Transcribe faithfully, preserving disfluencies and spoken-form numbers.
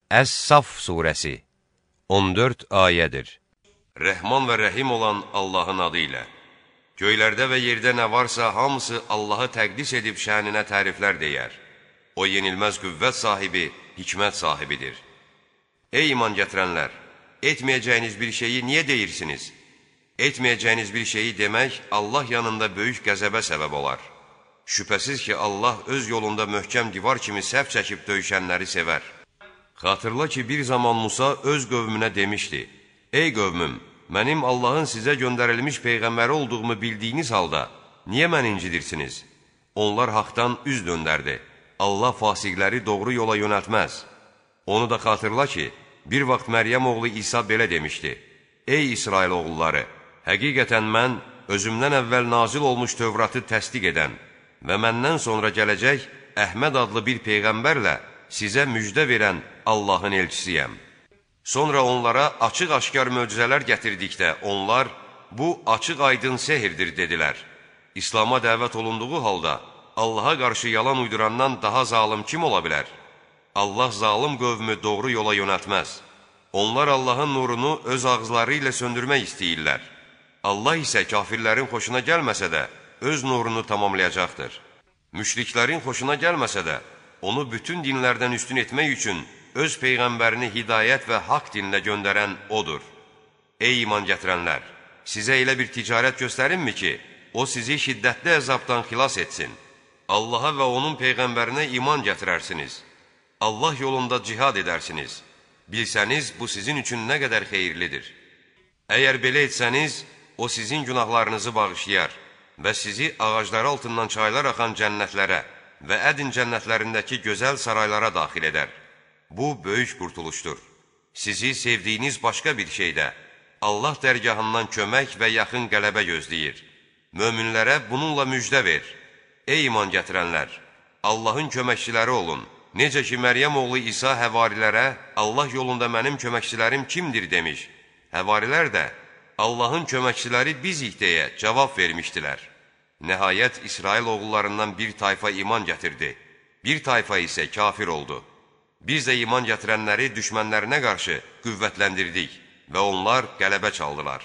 Əs-Saf surəsi on dörd ayədir. Rəhman və rəhim olan Allahın adı ilə. Göylərdə və yerdə nə varsa hamısı Allahı təqdis edib şəninə təriflər deyər. O yenilməz qüvvət sahibi, hikmət sahibidir. Ey iman gətirənlər! Etməyəcəyiniz bir şeyi niyə deyirsiniz? Etməyəcəyiniz bir şeyi demək Allah yanında böyük qəzəbə səbəb olar. Şübhəsiz ki, Allah öz yolunda möhkəm divar kimi səhv çəkib döyüşənləri sevər. Xatırla ki, bir zaman Musa öz qövmünə demişdi: Ey qövmüm, mənim Allahın sizə göndərilmiş peyğəmbəri olduğumu bildiyiniz halda, niyə məni incidirsiniz? Onlar haqdan üz döndərdi. Allah fasiqləri doğru yola yönəltməz. Onu da xatırla ki, bir vaxt Məryəm oğlu İsa belə demişdi: Ey İsrail oğulları, həqiqətən mən özümdən əvvəl nazil olmuş Tövratı təsdiq edən və məndən sonra gələcək Əhməd adlı bir peyğəmbərlə sizə müjdə verən Allahın elçisiyəm. Sonra onlara açıq-aşkar möcüzələr gətirdikdə onlar, bu açıq-aydın sehirdir dedilər. İslama dəvət olunduğu halda Allaha qarşı yalan uydurandan daha zalım kim ola bilər? Allah zalım qövmü doğru yola yönəltməz. Onlar Allahın nurunu öz ağızları ilə söndürmək istəyirlər. Allah isə kafirlərin xoşuna gəlməsə də öz nurunu tamamlayacaqdır. Müşriklərin xoşuna gəlməsə də onu bütün dinlərdən üstün etmək üçün öz peyğəmbərini hidayət və haqq dinlə göndərən odur. Ey iman gətirənlər! Sizə elə bir ticarət göstərinmi ki, o sizi şiddətli əzabdan xilas etsin? Allaha və onun peyğəmbərinə iman gətirərsiniz. Allah yolunda cihad edərsiniz. Bilsəniz, bu sizin üçün nə qədər xeyirlidir. Əgər belə etsəniz, o sizin günahlarınızı bağışlayar və sizi ağacları altından çaylar axan cənnətlərə və ədin cənnətlərindəki gözəl saraylara daxil edər. Bu, böyük qurtuluşdur. Sizi sevdiyiniz başqa bir şeydə Allah dərgahından kömək və yaxın qələbə gözləyir. Möminlərə bununla müjdə ver. Ey iman gətirənlər! Allahın köməkçiləri olun. Necə ki, Məryəm oğlu İsa həvarilərə, Allah yolunda mənim köməkçilərim kimdir demiş. Həvarilər də, Allahın köməkçiləri bizik deyə cavab vermişdilər. Nəhayət, İsrail oğullarından bir tayfa iman gətirdi. Bir tayfa isə kafir oldu. Biz də iman gətirənləri düşmənlərinə qarşı qüvvətləndirdik və onlar qələbə çaldılar.